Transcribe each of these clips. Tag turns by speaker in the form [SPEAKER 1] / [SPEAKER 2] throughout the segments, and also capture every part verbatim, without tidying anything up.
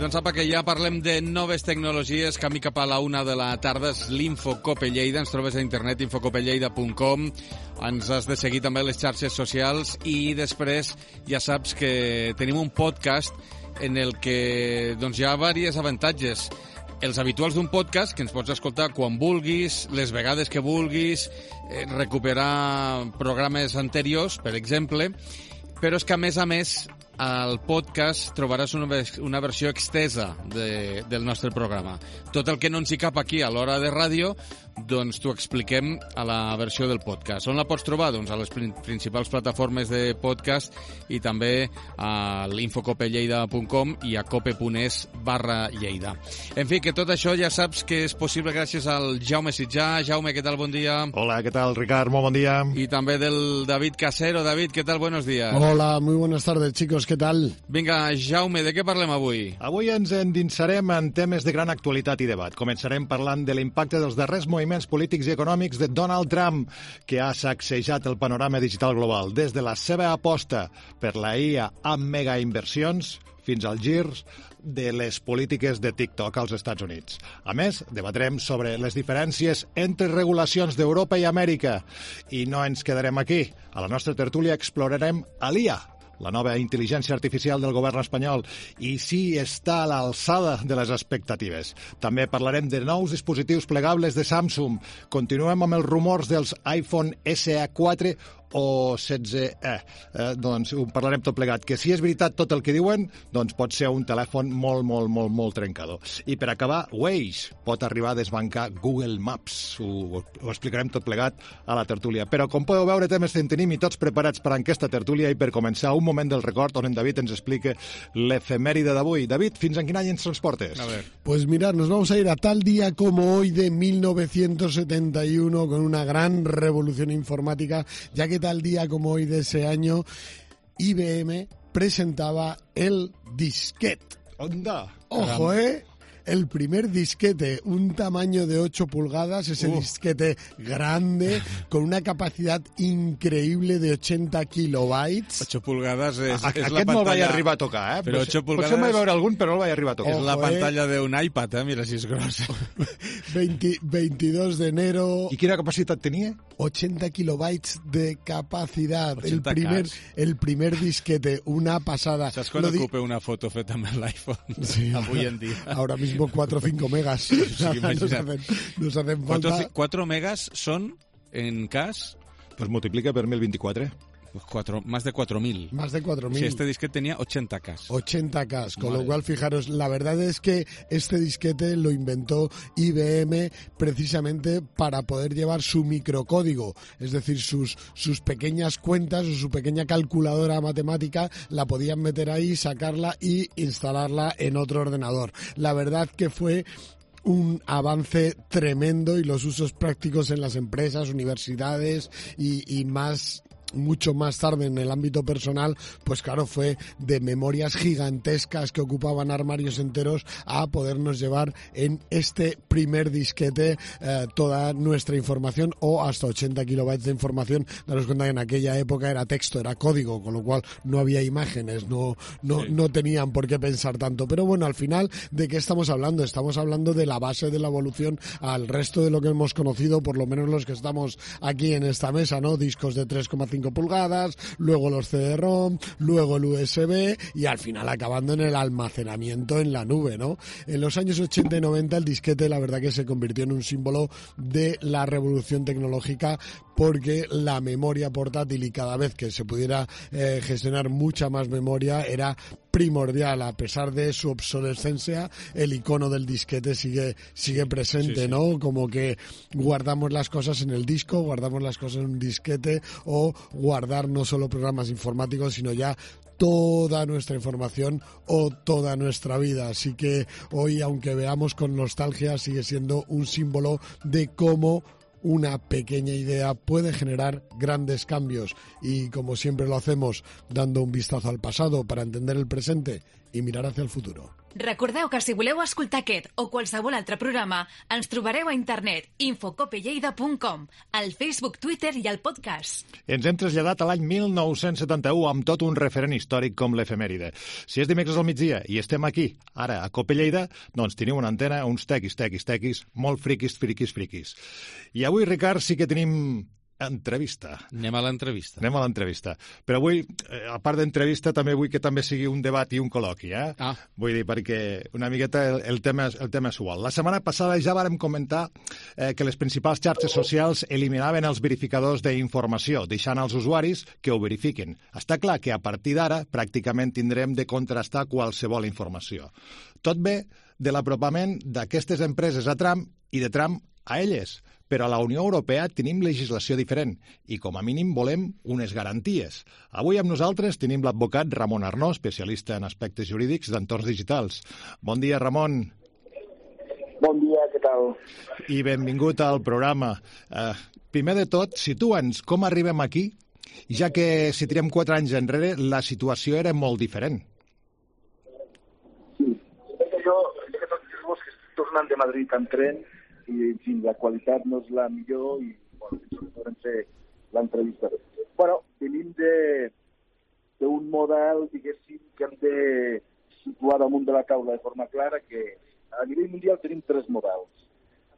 [SPEAKER 1] Doncs apa, que ja parlem de noves tecnologies, camí cap a la una de la tarda, és l'Infocope Lleida, ens trobes a internet, infocope lleida punt com, ens has de seguir també a les xarxes socials i després ja saps que tenim un podcast en el que doncs, hi ha diversos avantatges. Els habituals d'un podcast, que ens pots escoltar quan vulguis, les vegades que vulguis, eh, recuperar programes anteriors, per exemple, però és que, a més a més, al podcast trobaràs una, una versió extesa de, del nostre programa. Tot el que no ens hi cap aquí a l'hora de ràdio, doncs t'ho expliquem a la versió del podcast. On la pots trobar? Doncs a les principals plataformes de podcast i també a l'infocope lleida punt com i a cope.es barra Lleida. En fi, que tot això ja saps que és possible gràcies al Jaume Sitjà. Jaume, què tal? Bon dia.
[SPEAKER 2] Hola, què tal, Ricard? Molt bon dia.
[SPEAKER 1] I també del David Casero. David, què tal? Buenos días.
[SPEAKER 3] Hola, muy buenas tardes, chicos. ¿Qué tal?
[SPEAKER 1] Vinga, Jaume, de què parlem avui?
[SPEAKER 2] Avui ens endinsarem en temes de gran actualitat i debat. Començarem parlant de l'impacte dels darrers moviments polítics i econòmics de Donald Trump, que ha sacsejat el panorama digital global, des de la seva aposta per la I A amb megainversions fins als girs de les polítiques de TikTok als Estats Units. A més, debatrem sobre les diferències entre regulacions d'Europa i Amèrica. I no ens quedarem aquí. A la nostra tertúlia explorarem a l'I A, la nova intel·ligència artificial del govern espanyol, i si està a l'alçada de les expectatives. També parlarem de nous dispositius plegables de Samsung. Continuem amb els rumors dels iPhone S E quatre o setze E. Eh, doncs ho parlarem tot plegat, que si és veritat tot el que diuen, doncs pot ser un telèfon molt, molt, molt, molt trencador. I per acabar, Waze pot arribar a desbancar Google Maps. Ho, ho explicarem tot plegat a la tertúlia. Però, com podeu veure, temes en tenim i tots preparats per a aquesta tertúlia, i per començar, un moment del record on en David ens explica l'efemèride d'avui. David, fins en quin any ens transportes?
[SPEAKER 1] A ver.
[SPEAKER 3] Pues mirad, nos vamos a ir a tal día como hoy de mil novecientos setenta y uno, con una gran revolución informática, ya que tal día como hoy de ese año, I B M presentaba el disquete.
[SPEAKER 2] Onda.
[SPEAKER 3] Ojo, ¿eh? El primer disquete, un tamaño de ocho pulgadas, ese
[SPEAKER 1] Uh.
[SPEAKER 3] disquete grande, con una capacidad increïble de ochenta kilobytes.
[SPEAKER 1] ocho pulgades és,
[SPEAKER 2] A,
[SPEAKER 1] és
[SPEAKER 2] aquest
[SPEAKER 1] la
[SPEAKER 2] no el vaig
[SPEAKER 1] pantalla...
[SPEAKER 2] arribar a tocar, eh?
[SPEAKER 1] Però
[SPEAKER 2] Potser-
[SPEAKER 1] ocho pulgades-
[SPEAKER 2] Potser vaig veure algun, però no el vaig arribar a tocar.
[SPEAKER 1] És la
[SPEAKER 3] Ojo, eh?
[SPEAKER 1] pantalla d'un iPad, eh? Mira si és grossa.
[SPEAKER 3] veinte, veintidós de enero,
[SPEAKER 2] I quina capacitat tenia?
[SPEAKER 3] ochenta kilobytes de capacidad. El
[SPEAKER 1] ochenta
[SPEAKER 3] primer,
[SPEAKER 1] Ks.
[SPEAKER 3] el primer disquete, una pasada.
[SPEAKER 1] Saps quan
[SPEAKER 3] Lo di-
[SPEAKER 1] ocupa una foto feta amb l'iPhone?
[SPEAKER 3] Sí,
[SPEAKER 1] Avui en dia.
[SPEAKER 3] Ahora mismo cuatro o cinco megas. nos,
[SPEAKER 1] imagina't.
[SPEAKER 3] hacen, nos hacen falta...
[SPEAKER 1] cuatro megas son, en cas,
[SPEAKER 2] Pues multiplica per mil vint-i-quatre.
[SPEAKER 1] pues cuatro, más de cuatro mil.
[SPEAKER 3] Más de cuatro mil.
[SPEAKER 1] Si este disquete tenía ochenta K.
[SPEAKER 3] ochenta K, con
[SPEAKER 1] Madre.
[SPEAKER 3] lo cual, fijaros, la verdad es que este disquete lo inventó I B M precisamente para poder llevar su microcódigo, es decir, sus, sus pequeñas cuentas o su pequeña calculadora matemática, la podían meter ahí, sacarla y instalarla en otro ordenador. La verdad que fue un avance tremendo, y los usos prácticos en las empresas, universidades y, y más... mucho más tarde en el ámbito personal, pues claro, fue de memorias gigantescas que ocupaban armarios enteros a podernos llevar en este primer disquete eh, toda nuestra información, o hasta ochenta kilobytes de información. Daros cuenta que en aquella época era texto, era código, con lo cual no había imágenes, no, no,
[SPEAKER 1] Sí.
[SPEAKER 3] no tenían por qué pensar tanto. Pero bueno, al final, ¿de qué estamos hablando? Estamos hablando de la base de la evolución al resto de lo que hemos conocido, por lo menos los que estamos aquí en esta mesa, ¿no? Discos de tres coma cinco pulgadas, luego los C D ROM, luego el U S B, y al final acabando en el almacenamiento en la nube, ¿no? En los años ochenta y noventa el disquete, la verdad que se convirtió en un símbolo de la revolución tecnológica, porque la memoria portátil, y cada vez que se pudiera eh, gestionar mucha más memoria, era primordial. A pesar de su obsolescencia, el icono del disquete sigue sigue presente,
[SPEAKER 1] Sí, sí.
[SPEAKER 3] ¿no? Como que guardamos las cosas en el disco, guardamos las cosas en un disquete, o guardar no solo programas informáticos, sino ya toda nuestra información o toda nuestra vida. Así que hoy, aunque veamos con nostalgia, sigue siendo un símbolo de cómo una pequeña idea puede generar grandes cambios. Y como siempre lo hacemos, dando un vistazo al pasado para entender el presente, y mirar hacia el futuro.
[SPEAKER 4] Recordeu que si voleu escoltar aquest o qualsevol altre programa, ens trobareu a internet infocopelleida punt com, al Facebook, Twitter i al podcast.
[SPEAKER 2] Ens hem traslladat a l'any mil nou-cents setanta-u amb tot un referent històric com l'efemèride. Si és dimecres al migdia i estem aquí, ara, a Copelleida, doncs teniu una antena, uns tequis, tequis, tequis, molt friquis, friquis, friquis. I avui, Ricard, sí que tenim entrevista.
[SPEAKER 1] Anem a l'entrevista.
[SPEAKER 2] Anem a l'entrevista. Però avui, a part d'entrevista, també vull que també sigui un debat i un col·loqui, eh?
[SPEAKER 1] Ah.
[SPEAKER 2] Vull dir, perquè una miqueta el, el, tema, el tema és igual. La setmana passada ja vàrem comentar eh, que les principals xarxes socials eliminaven els verificadors d'informació, deixant als usuaris que ho verifiquen. Està clar que a partir d'ara pràcticament tindrem de contrastar qualsevol informació. Tot ve de l'apropament d'aquestes empreses a Trump i de Trump a elles. Però a la Unió Europea tenim legislació diferent i, com a mínim, volem unes garanties. Avui amb nosaltres tenim l'advocat Ramon Arnó, especialista en aspectes jurídics d'entorns digitals. Bon dia, Ramon.
[SPEAKER 5] Bon dia, què tal?
[SPEAKER 2] I benvingut al programa. Uh, primer de tot, situa'ns com arribem aquí, ja que si tirem quatre anys enrere la situació era molt diferent.
[SPEAKER 5] Sí, jo és que tots els que estic tornant de Madrid en tren i, en fi, la qualitat no és la millor i, bueno, podrem fer l'entrevista. Bueno, venim d'un model, diguéssim, que hem de situar damunt de la taula de forma clara, que a nivell mundial tenim tres models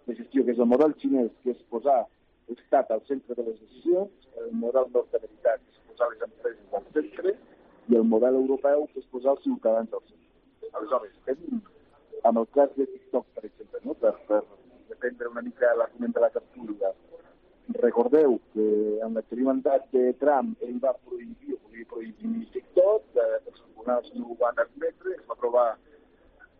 [SPEAKER 5] de gestió, que és el model xinès, que és posar l'estat al centre de les decisions, el model nord-americà, que és posar les empreses al centre, i el model europeu, que és posar els ciutadans al centre. Aleshores, tenim, amb el cas de TikTok, per exemple, no? per, per dependre una mica l'argument de la tertúlia. Recordeu que en l'experimentat de Trump ell va prohibir, o volia prohibir TikTok, eh, els tribunals no ho van admetre, es va aprovar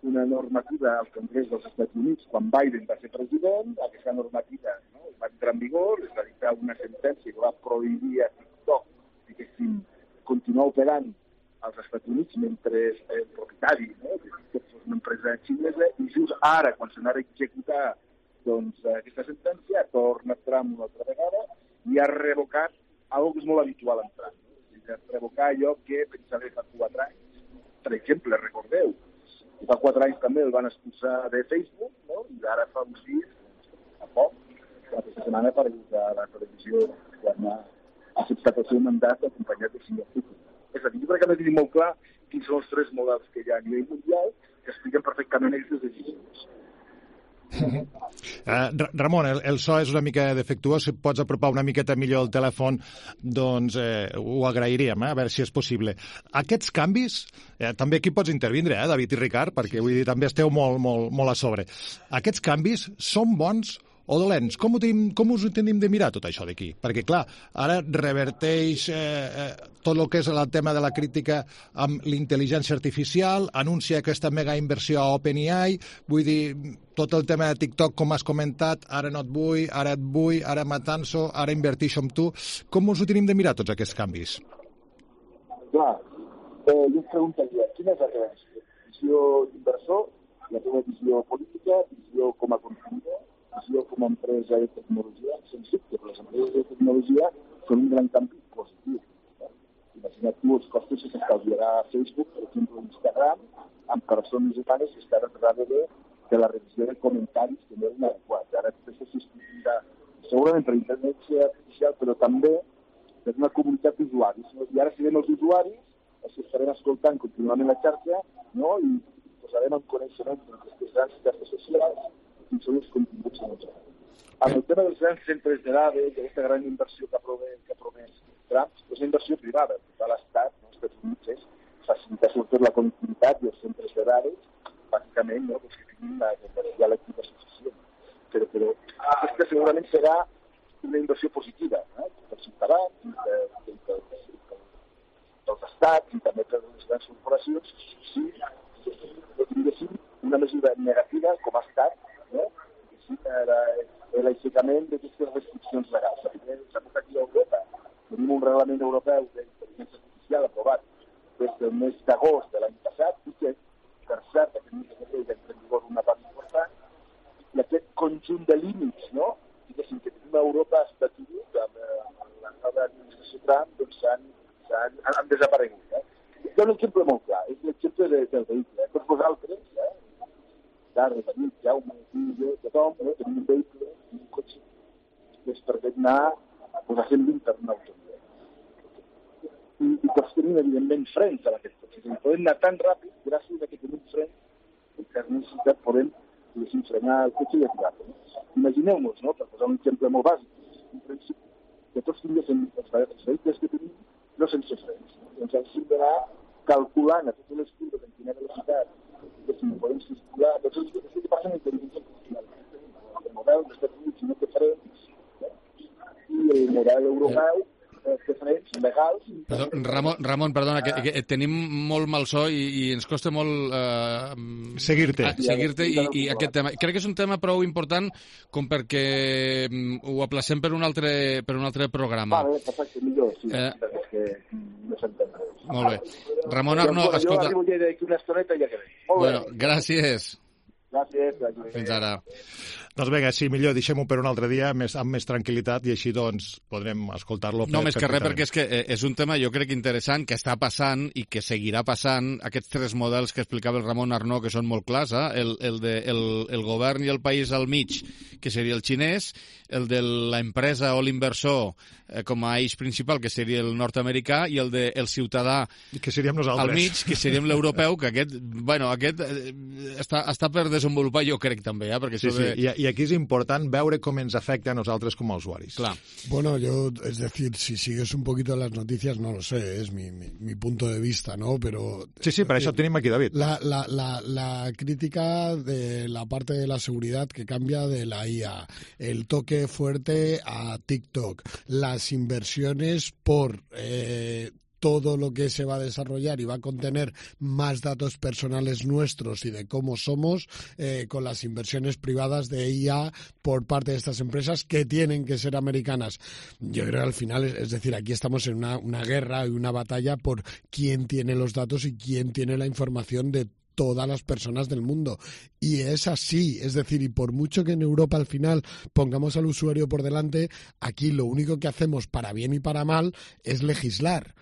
[SPEAKER 5] una normativa al Congrés dels Estats Units quan Biden va ser president, aquesta normativa, no? Va entrar en vigor, es va dictar una sentència que va prohibir a TikTok, diguéssim, continuar operant als Estats Units mentre el propietari, no? de TikTok és una empresa xinesa, i just ara, quan s'anava a executar doncs aquesta sentència, ha tornat Trump una altra vegada i ha revocat algo que és molt habitual en Trump. Ha revocat allò que pensava fa quatre anys. Per exemple, recordeu, fa quatre anys també el van expulsar de Facebook, no? I ara fa uns dies, a poc, aquesta setmana per a la televisió quan ha acceptat el seu mandat acompanyat de Singapur. És a dir, jo crec que hem de tenir molt clar quins són els tres models que hi ha a nivell mundial que expliquen perfectament aquestes decisions.
[SPEAKER 2] Uh, Ramon, el, el so és una mica defectuós, si pots apropar una miqueta millor el telèfon, doncs eh, ho agrairíem, eh, a veure si és possible. Aquests canvis, eh, també aquí pots intervindre, eh, David i Ricard, perquè vull dir, també esteu molt, molt, molt a sobre. Aquests canvis són bons o dolents? Com, ho tenim, com us ho tenim de mirar tot això d'aquí? Perquè, clar, ara reverteix eh, eh, tot el que és el tema de la crítica amb l'intel·ligència artificial, anuncia aquesta mega inversió a OpenAI, vull dir, tot el tema de TikTok, com has comentat, ara no et vull, ara et vull, ara m'atanso, ara invertixo amb tu. Com us ho tenim de mirar tots aquests canvis?
[SPEAKER 5] Clar, eh, jo et preguntaria, quina és la teva visió? Visió d'inversor, la teva visió política, visió com a consumidor, visió com a empresa de tecnologia? Sens dubte, però les empreses de tecnologia són un gran canvi positiu. Eh? Imagina't tu els costos que s'estalviarà a Facebook, per exemple, Instagram, amb persones humanes que estaran darrere de la revisió de comentaris que no eren adequats. Ara tot això s'estimula segurament per intel·ligència artificial, però també per una comunitat d'usuaris. No? I ara serem els usuaris els que estarem escoltant contínuament la xarxa, no? I posarem en coneixement d'aquestes grans xarxes socials quins són els continguts de nosaltres. Amb el tema dels grans centres de dades, d'aquesta gran inversió que ha promès, que ha promès Trump, és una inversió privada, per l'Estat, no? Els Estats Units és facilitar sobretot la connectivitat i els centres de dades, bàsicament, no? Perquè tenim la energia elèctrica suficient. Però, però aquesta segurament serà una inversió positiva, eh? Per ciutadans, de, de, de, de, de, dels estats i també per les grans corporacions, sí, diguéssim, una mesura negativa com ha estat, no? L'aixecament d'aquestes restriccions legals. S'ha posat aquí a Europa. Tenim un reglament europeu d'intel·ligència artificial aprovat des del mes d'agost de l'any passat i que, per cert, aquest mes de febrer ja entra en vigor una part important, i aquest conjunt de límits, no? Diguéssim, que tenim a Europa estatuït amb, amb la nova administració Trump, doncs han, han, han desaparegut. Eh? hi ha un exemple molt clar, és l'exemple de, del vehicle. Eh? Tots vosaltres, eh? Carles, David, Jaume, jo, tothom, eh? tenim un vehicle, un cotxe, que es permet anar pues, a cent vint per una autovia. I, i tots tenim, evidentment, frens en aquest cotxe. I podem anar tan ràpid, gràcies a que tenim frens, que per necessitat podem frenar el cotxe i aturar-lo. No? Imagineu-nos, no? Per posar un exemple molt bàsic, un principi, que tots tinguéssim els vehicles que tenim no sense frens. No? Doncs hem d'anar calculant a totes les curves en quina velocitat que si no podem circular, tots els que passen en intel·ligència artificial. El model dels Estats Units no té frens, eh? I el model europeu té frens legals.
[SPEAKER 1] Perdó, Ramon, Ramon, perdona, que, que tenim molt mal so i, i ens costa molt eh,
[SPEAKER 2] seguir-te
[SPEAKER 1] seguir-te i, i aquest tema. Crec que és un tema prou important com perquè ho aplacem per un altre, per un altre programa.
[SPEAKER 5] Vale, perfecte, millor, sí, eh... és que no s'entén res.
[SPEAKER 1] Molt bé. Ramon Arno,
[SPEAKER 5] jo,
[SPEAKER 1] escolta...
[SPEAKER 5] Jo arribo a Lleida d'aquí una estoneta i ja quedé. Molt
[SPEAKER 1] bueno,
[SPEAKER 5] bé.
[SPEAKER 1] Gràcies.
[SPEAKER 5] Gràcies. gràcies.
[SPEAKER 1] Fins ara.
[SPEAKER 2] Doncs vinga, sí, millor deixem-ho per un altre dia més, amb més tranquil·litat i així doncs podrem escoltar-lo.
[SPEAKER 1] No, més que res, perquè és que és un tema jo crec interessant que està passant i que seguirà passant. Aquests tres models que explicava el Ramon Arnó, que són molt clars, eh? el, el, de, el, el govern i el país al mig, que seria el xinès, el de l'empresa o l'inversor eh, com a eix principal, que seria el nord-americà, i el del de, el ciutadà
[SPEAKER 2] que seríem nosaltres.
[SPEAKER 1] Al mig, que seríem l'europeu, que aquest, bueno, aquest eh, està, està per desenvolupar, jo crec també, eh? Perquè
[SPEAKER 2] sí,
[SPEAKER 1] de...
[SPEAKER 2] sí. I, I aquí és important veure com ens afecta a nosaltres com a usuaris.
[SPEAKER 1] Clar.
[SPEAKER 3] Bueno, yo, es decir, si sigues un poquito las noticias, no lo sé, es mi, mi, mi punto de vista, ¿no? Pero...
[SPEAKER 2] Sí, sí, per eh, això tenim aquí, David.
[SPEAKER 3] La, la, la, la crítica de la parte de la seguridad que cambia de la I A, el toque fuerte a TikTok, las inversiones por... Eh, todo lo que se va a desarrollar y va a contener más datos personales nuestros y de cómo somos eh, con las inversiones privadas de I A por parte de estas empresas que tienen que ser americanas. Yo creo que al final, es, es decir, aquí estamos en una, una guerra y una batalla por quién tiene los datos y quién tiene la información de todas las personas del mundo. Y es así, es decir, y por mucho que en Europa al final pongamos al usuario por delante, aquí lo único que hacemos para bien y para mal es legislar.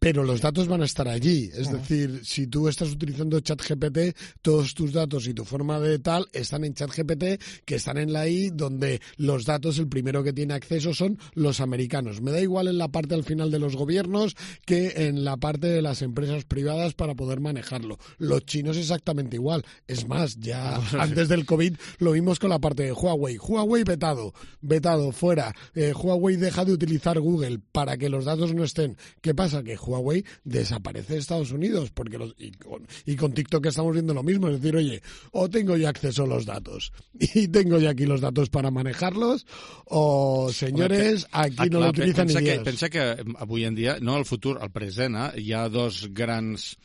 [SPEAKER 3] Pero los datos van a estar allí. Es uh-huh. decir, si tú estás utilizando ChatGPT, todos tus datos y tu forma de tal están en ChatGPT, que están en la I, donde los datos, el primero que tiene acceso son los americanos. Me da igual en la parte al final de los gobiernos que en la parte de las empresas privadas para poder manejarlo. Los chinos exactamente igual. Es más, ya antes del COVID lo vimos con la parte de Huawei. Huawei vetado, vetado, fuera. Eh, Huawei deja de utilizar Google para que los datos no estén. ¿Qué pasa? Que Huawei desaparece de Estados Unidos porque los, y, con, y con TikTok estamos viendo lo mismo, es decir, oye, o tengo ya acceso a los datos y tengo ya aquí los datos para manejarlos, o señores, aquí ah, no clar, lo utilizan
[SPEAKER 1] pensa
[SPEAKER 3] ni
[SPEAKER 1] que,
[SPEAKER 3] Dios.
[SPEAKER 1] Pensa que avui en dia, no al futur, al present, eh, hi ha dos grans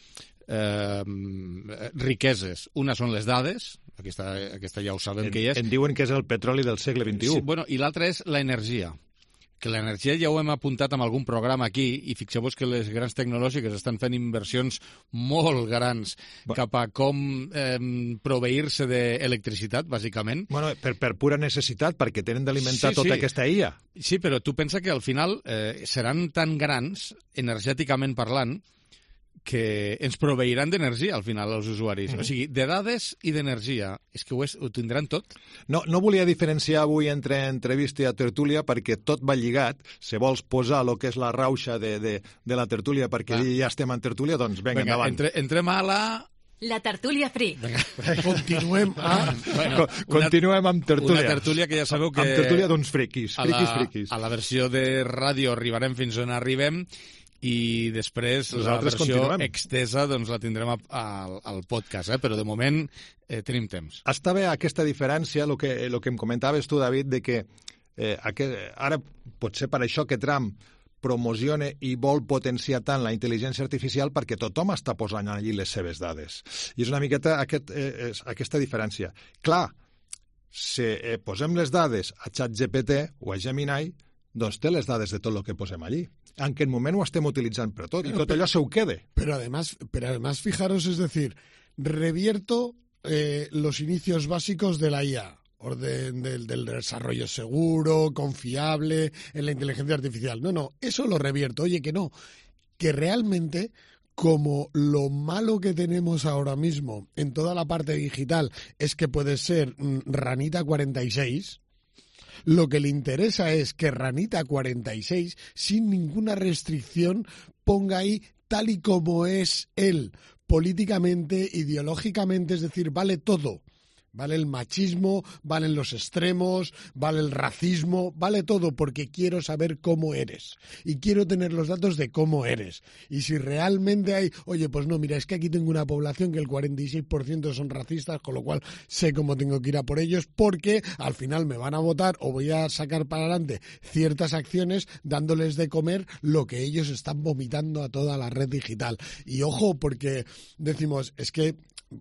[SPEAKER 1] eh, riqueses. Una són les dades, aquesta, aquesta ja ho sabem
[SPEAKER 2] en,
[SPEAKER 1] que hi és.
[SPEAKER 2] En diuen que és el petroli del segle vint-i-u.
[SPEAKER 1] Sí, bueno, i l'altra és l'energia. Que l'energia ja ho hem apuntat en algun programa aquí i fixeu-vos que les grans tecnològiques estan fent inversions molt grans Va. cap a com eh, proveir-se d'electricitat, bàsicament.
[SPEAKER 2] Bueno, per, per pura necessitat, perquè tenen d'alimentar sí, tota sí. aquesta I A.
[SPEAKER 1] Sí, però tu pensa que al final eh, seran tan grans, energèticament parlant, que ens proveiran d'energia al final als usuaris. Mm-hmm. O sigui, de dades i d'energia. És que ho, és, ho tindran tot.
[SPEAKER 2] No, no volia diferenciar avui entre entrevista i tertúlia perquè tot va lligat. Si vols posar el que és la rauxa de, de, de la tertúlia perquè ah. ja estem en tertúlia, doncs vinga,
[SPEAKER 1] vinga endavant. Entre, entrem a la...
[SPEAKER 4] La tertúlia freak.
[SPEAKER 3] Continuem a...
[SPEAKER 2] Bueno, continuem amb tertúlia.
[SPEAKER 1] Una tertúlia que ja sabeu que...
[SPEAKER 2] Amb tertúlia d'uns friquis, friquis, friquis.
[SPEAKER 1] A la versió de ràdio arribarem fins on arribem i després
[SPEAKER 2] Nosaltres
[SPEAKER 1] la versió
[SPEAKER 2] continuem.
[SPEAKER 1] extesa doncs la tindrem a, a, al podcast, eh? Però de moment eh, tenim temps.
[SPEAKER 2] Està bé aquesta diferència, el que, el que em comentaves tu, David, de que eh, aquest, ara potser per això que Trump promociona i vol potenciar tant la intel·ligència artificial perquè tothom està posant allí les seves dades. I és una miqueta aquest, eh, és, aquesta diferència. Clar, si eh, posem les dades a ChatGPT o a Gemini, doncs té les dades de tot el que posem allí. En aquest moment ho estem utilitzant per tot, i tot allò se ho quede.
[SPEAKER 3] Pero además, pero además fijaros, es decir, revierto eh, los inicios básicos de la I A, orden del, del desarrollo seguro, confiable, en la inteligencia artificial. No, no, eso lo revierto. Oye, que no, que realmente como lo malo que tenemos ahora mismo en toda la parte digital es que puede ser mm, Ranita cuarenta y seis, lo que le interesa es que Ranita cuarenta y seis, sin ninguna restricción, ponga ahí tal y como es él, políticamente, ideológicamente, es decir, vale todo. Vale el machismo, valen los extremos, vale el racismo, vale todo, porque quiero saber cómo eres y quiero tener los datos de cómo eres. Y si realmente hay, oye, pues no, mira, es que aquí tengo una población que el cuarenta y seis por ciento son racistas, con lo cual sé cómo tengo que ir a por ellos, porque al final me van a votar o voy a sacar para adelante ciertas acciones dándoles de comer lo que ellos están vomitando a toda la red digital. Y ojo, porque decimos, es que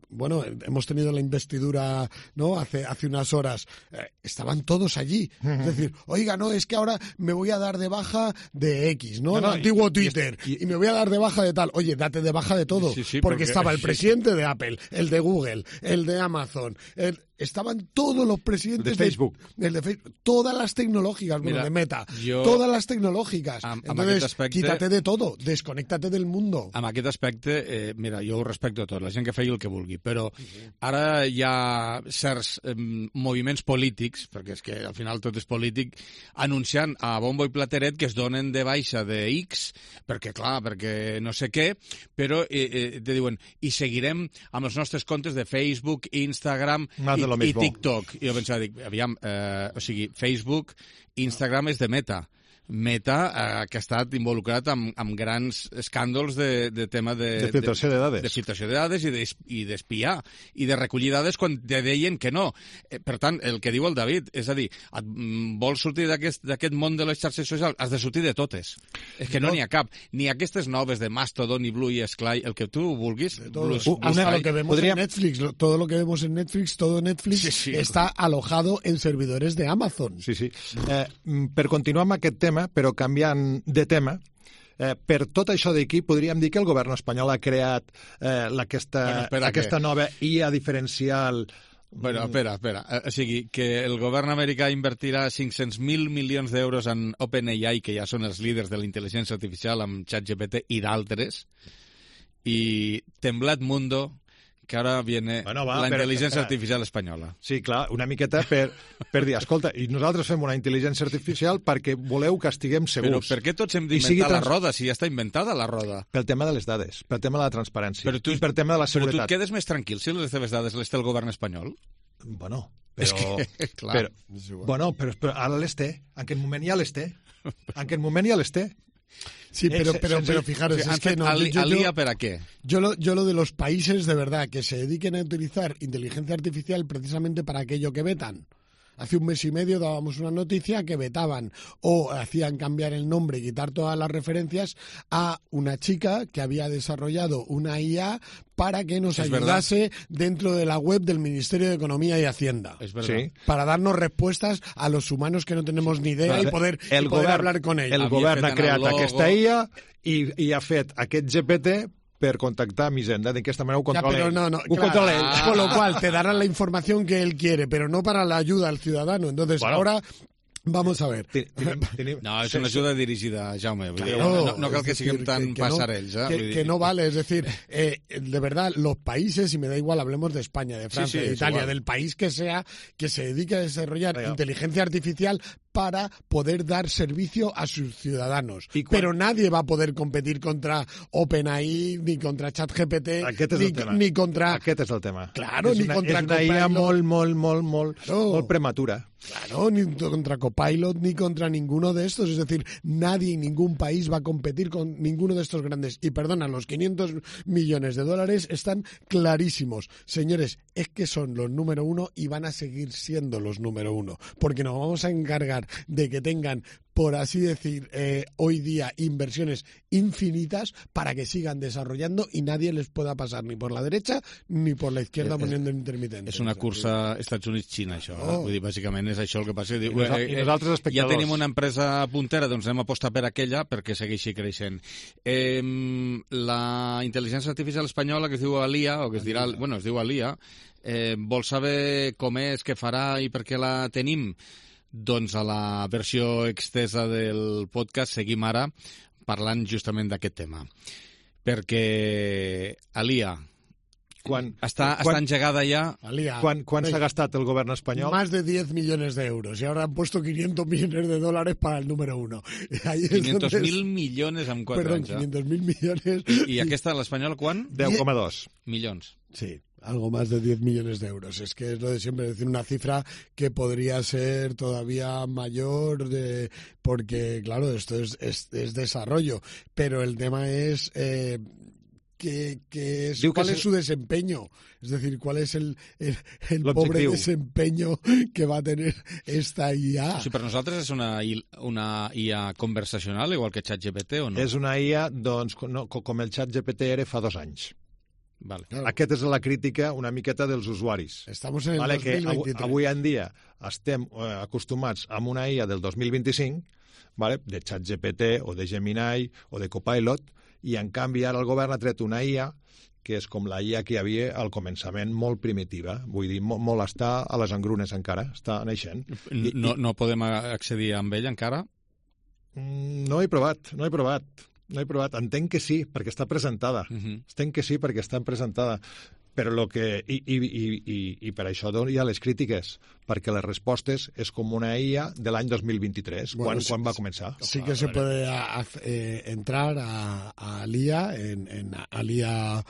[SPEAKER 3] bueno, hemos tenido la investidura, ¿no? Hace hace unas horas. Eh, estaban todos allí. Es decir, oiga, no, es que ahora me voy a dar de baja de X, ¿no?
[SPEAKER 2] No, no,
[SPEAKER 3] el antiguo
[SPEAKER 2] y,
[SPEAKER 3] Twitter.
[SPEAKER 2] Y, y,
[SPEAKER 3] y me voy a dar de baja de tal. Oye, date de baja de todo.
[SPEAKER 1] Sí, sí,
[SPEAKER 3] porque,
[SPEAKER 1] porque
[SPEAKER 3] estaba el
[SPEAKER 1] sí,
[SPEAKER 3] presidente
[SPEAKER 1] sí.
[SPEAKER 3] de Apple, el de Google, el de Amazon, el... Estaban todos los presidentes
[SPEAKER 2] de Facebook,
[SPEAKER 3] de, el de Facebook, todas las tecnológicas, bueno,
[SPEAKER 1] Mira,
[SPEAKER 3] de Meta,
[SPEAKER 1] jo,
[SPEAKER 3] todas las tecnològiques.
[SPEAKER 1] Amb, amb
[SPEAKER 3] Entonces,
[SPEAKER 1] aspecte,
[SPEAKER 3] quítate de todo, desconéctate del mundo.
[SPEAKER 1] Amb aquest aspecte, eh, mira, jo ho respecto tot, la gent que feia el que vulgui, però ara hi ha certs eh, moviments polítics, perquè és que al final tot és polític, anunciant a bombo i plateret que es donen de baixa de X, perquè clar, perquè no sé què, però eh, eh, te diuen, i seguirem amb els nostres comptes de Facebook, Instagram i, i TikTok. I jo pensava, dic, aviam, eh, o sigui, Facebook, Instagram és de Meta. Meta, eh, que ha estat involucrat amb, amb grans escàndols de, de tema de...
[SPEAKER 2] De filtració de dades.
[SPEAKER 1] De filtració de dades i d'espiar, i de recollir dades quan te deien que no. Eh, per tant, el que diu el David, és a dir, et, mm, vols sortir d'aquest món de les xarxes socials? Has de sortir de totes. És que no n'hi ha cap. Ni aquestes noves de Mastodon i Blue i Sky, el que tu vulguis.
[SPEAKER 3] Blue, uh, hasta lo que vemos Podríem... en Netflix, todo lo que vemos en Netflix, todo Netflix sí, sí. está alojado en servidores de Amazon.
[SPEAKER 2] Sí, sí. Eh, per continuar amb aquest tema, però canviant de tema, eh, per tot això d'aquí podríem dir que el govern espanyol ha creat eh, aquesta, bueno, espera, aquesta nova I A diferencial.
[SPEAKER 1] Bueno, espera, espera. O sigui, que el govern americà invertirà cinc-cents mil milions d'euros en OpenAI, que ja són els líders de la intel·ligència artificial, amb ChatGPT i d'altres, i Temblat Mundo, que ara viene bueno, va, la intel·ligència artificial espanyola.
[SPEAKER 2] Sí, clar, una miqueta per, per dir, escolta, i nosaltres fem una intel·ligència artificial perquè voleu que estiguem segurs.
[SPEAKER 1] Però per què tots hem d'inventar trans... la roda, si ja està inventada la roda?
[SPEAKER 2] Pel tema de les dades, pel tema de la transparència, tu, i per tema de la seguretat.
[SPEAKER 1] Però tu et quedes més tranquil si les teves dades les té el govern espanyol?
[SPEAKER 2] Bueno, però...
[SPEAKER 1] És que, clar...
[SPEAKER 2] Però, bueno, però, però ara les té, en aquest moment ja les té. En aquest moment ja les té.
[SPEAKER 3] Sí, pero, pero, pero fijaros, es que no,
[SPEAKER 1] al,
[SPEAKER 3] yo,
[SPEAKER 1] al
[SPEAKER 3] yo,
[SPEAKER 1] ¿para qué?
[SPEAKER 3] Yo lo, yo lo de los países, de verdad, que se dediquen a utilizar inteligencia artificial precisamente para aquello que vetan. Hace un mes y medio dábamos una noticia que vetaban o hacían cambiar el nombre y quitar todas las referencias a una chica que había desarrollado una I A para que nos es ayudase verdad. Dentro de la web del Ministerio de Economía y Hacienda.
[SPEAKER 1] Es verdad.
[SPEAKER 3] Sí. Para darnos respuestas a los humanos que no tenemos ni idea y poder,
[SPEAKER 2] el
[SPEAKER 3] y poder
[SPEAKER 2] govern,
[SPEAKER 3] hablar con ellos.
[SPEAKER 2] El govern ha creat aquesta I A i, i ha fet aquest G P T per contactar a Hisenda, d'aquesta manera ho controla
[SPEAKER 3] ell. No, no, ho claro, controla ell. Con lo cual te darán la información que él quiere, pero no para la ayuda al ciudadano. Entonces, bueno, ahora vamos a ver.
[SPEAKER 2] Tenim, tenim,
[SPEAKER 1] no, és una ajuda dirigida a Jaume. Claro, no, no cal que siguem tan que, que passarells.
[SPEAKER 3] No,
[SPEAKER 1] ¿eh?
[SPEAKER 3] que, que no vale, es decir, eh, de verdad, los países, y me da igual, hablemos de España, de Francia, sí, sí, de Italia, igual. Del país que sea, que se dedique a desarrollar Venga. inteligencia artificial para poder dar servicio a sus ciudadanos. Pero nadie va a poder competir contra OpenAI, ni contra ChatGPT, ni, ni contra...
[SPEAKER 2] Aquest és el tema.
[SPEAKER 3] Claro,
[SPEAKER 2] és
[SPEAKER 3] ni
[SPEAKER 2] una,
[SPEAKER 3] contra
[SPEAKER 2] és una
[SPEAKER 3] Copilot.
[SPEAKER 2] I A molt, molt, molt, molt, no. molt prematura.
[SPEAKER 3] Claro, ni contra Copilot, ni contra ninguno de estos. Es decir, nadie en ningún país va a competir con ninguno de estos grandes. Y perdona, los quinientos millones de dólares están clarísimos. Señores, es que son los número uno y van a seguir siendo los número uno. Porque nos vamos a encargar de que tengan, por así decir, eh, hoy día inversiones infinitas para que sigan desarrollando y nadie les pueda pasar ni por la derecha ni por la izquierda poniendo intermitente.
[SPEAKER 1] És una cursa Estats Units-Xina, això. Oh. Vull dir, bàsicament és això el que passa. Diu,
[SPEAKER 2] I, I nosaltres espectadors.
[SPEAKER 1] Ja tenim una empresa puntera, doncs anem a apostar per aquella perquè segueixi creixent. Eh, la intel·ligència artificial espanyola, que es diu Alia, o que es dirà, bueno, es diu Alia, eh, vol saber com és, què farà i per què la tenim? Doncs a la versió extesa del podcast seguim ara parlant justament d'aquest tema. perquè Alia
[SPEAKER 2] Quan,
[SPEAKER 1] està,
[SPEAKER 2] quan,
[SPEAKER 1] està engegada ya.
[SPEAKER 3] Alia,
[SPEAKER 2] quan, quan s'ha gastat el govern espanyol?
[SPEAKER 3] Más de diez millones de euros y ahora han puesto quinientos millones de dólares para el número uno.
[SPEAKER 1] quinientos mil millones en quatre
[SPEAKER 3] Perdón,
[SPEAKER 1] anys. Eh?
[SPEAKER 3] quinientos mil millones.
[SPEAKER 1] I, I aquesta, l'espanyol, quan?
[SPEAKER 2] deu coma dos.
[SPEAKER 1] Milions.
[SPEAKER 3] Sí, algo más de diez millones de euros. Es que es lo de siempre, es decir, una cifra que podría ser todavía mayor, de, porque, claro, esto es, es, es desarrollo. Pero el tema es... Eh, Que, que es, cuál es su desempeño, es decir, cuál es el, el, el pobre desempeño que va a tener esta I A.
[SPEAKER 1] O sigui, per nosaltres és una, una I A conversacional, igual que ChatGPT, o no?
[SPEAKER 2] És una I A, doncs, no, com el ChatGPT era fa dos anys.
[SPEAKER 1] Vale.
[SPEAKER 2] Claro. Aquesta és la crítica una miqueta dels usuaris.
[SPEAKER 3] Estamos en el
[SPEAKER 2] vale,
[SPEAKER 3] dos mil veintitrés.
[SPEAKER 2] Que avui en dia estem eh, acostumats a una I A del dos mil vint-i-cinc, vale, de ChatGPT o de Gemini o de Copilot, i en canvi ara el govern ha tret una I A que és com la I A que hi havia al començament, molt primitiva, vull dir, molt, molt està a les engrunes encara, està naixent.
[SPEAKER 1] I, no, no podem accedir amb ell encara?
[SPEAKER 2] No he provat, no he provat, no he provat. Entenc que sí, perquè està presentada. Uh-huh. Entenc que sí, perquè està presentada. Però lo que... I, i, i, i, i per això hi ha les crítiques, perquè les respostes és com una I A de l'any dos mil vint-i-tres, bueno, quan, sí, quan va començar.
[SPEAKER 3] Sí que se puede a, a, eh, entrar a, a Alia, en, en alia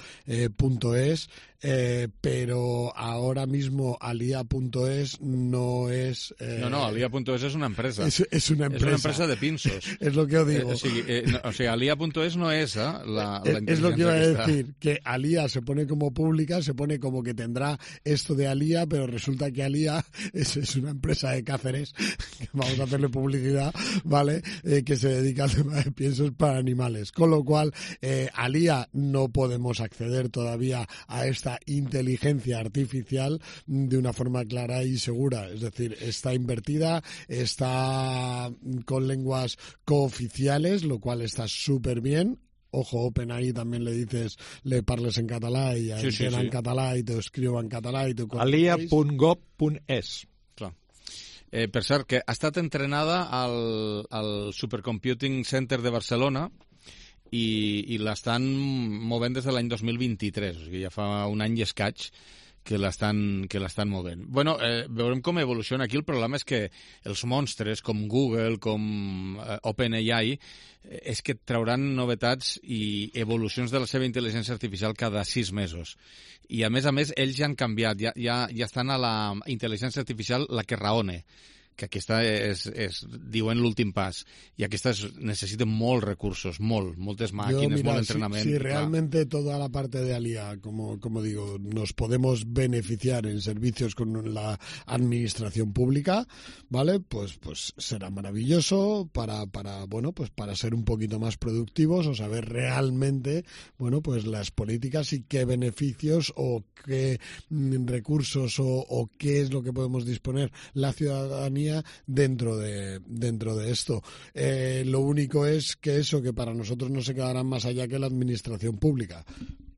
[SPEAKER 3] punto es, eh, pero ahora mismo alia punto es no es... Eh,
[SPEAKER 1] no, no, alia punto es és una empresa.
[SPEAKER 3] Es, es una empresa.
[SPEAKER 1] Es una empresa de pinzos.
[SPEAKER 3] Es lo que os digo.
[SPEAKER 1] Eh, o sigui, eh, no, o sigui alia punto es no és eh, la, la
[SPEAKER 3] es, es lo que iba a decir,
[SPEAKER 1] está.
[SPEAKER 3] Que Alia se pone como pública, se pone como que tendrá esto de Alia, pero resulta que Alia es, es una empresa de Cáceres, que vamos a hacerle publicidad, ¿vale? Eh, que se dedica al tema de piensos para animales. Con lo cual, eh, Alia no podemos acceder todavía a esta inteligencia artificial de una forma clara y segura. Es decir, está invertida, está con lenguas cooficiales, lo cual está súper bien. Ojo, OpenAI también le dices, le parles en català i sí, sí, sí. en català i t'ho escriu en català i t'ho...
[SPEAKER 2] alia punt gov punt es.
[SPEAKER 1] Clar. Eh, per cert, que ha estat entrenada al, al Supercomputing Center de Barcelona i, i l'estan movent des de l'any dos mil vint-i-tres, o sigui, ja fa un any i escaig que l'estan que l'estan movent. Bueno, eh, veurem com evoluciona aquí. El problema és que els monstres com Google, com eh, OpenAI, eh, és que trauran novetats i evolucions de la seva intel·ligència artificial cada sis mesos. I, a més a més, ells ja han canviat, ja, ja, ja estan a la intel·ligència artificial la que raone, que aquesta és, és diuen, l'últim pas. Y aquesta es, necessita molts recursos, molt, moltes màquines, molt entrenament.
[SPEAKER 3] Si, si realmente toda la parte de Alia, como, como digo, nos podemos beneficiar en servicios con la administración pública, ¿vale? Pues, pues será maravilloso para, para, bueno, pues para ser un poquito más productivos o saber realmente, bueno, pues las políticas y qué beneficios o qué recursos o, o qué es lo que podemos disponer la ciudadanía dentro de dentro de esto. Eh, lo único es que eso, que para nosotros no se quedará más allá que la administración pública,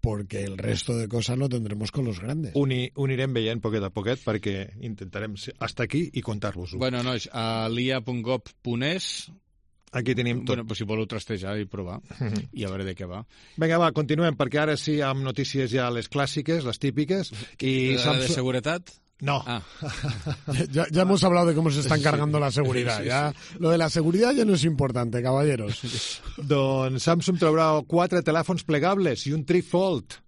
[SPEAKER 3] porque el resto de cosas lo tendremos con los grandes.
[SPEAKER 2] Uni, unirem veient poquet a poquet perquè intentarem hasta aquí i contar-vos-ho.
[SPEAKER 1] Bueno, nois, a alia punt gov punt es
[SPEAKER 2] aquí tenim tot.
[SPEAKER 1] Bueno, pues si voleu trastejar i provar i a veure de què va.
[SPEAKER 2] Vinga, va, continuem, perquè ara sí amb notícies ja les clàssiques, les típiques. I
[SPEAKER 1] la Samsung... de seguretat?
[SPEAKER 2] No.
[SPEAKER 1] Ah.
[SPEAKER 3] ya, ya hemos hablado de cómo se está encargando la seguridad. Sí, sí, ya, sí. Lo de la seguridad ya no es importante, caballeros.
[SPEAKER 2] Doncs Samsung traurà quatre telèfons plegables i un trifold.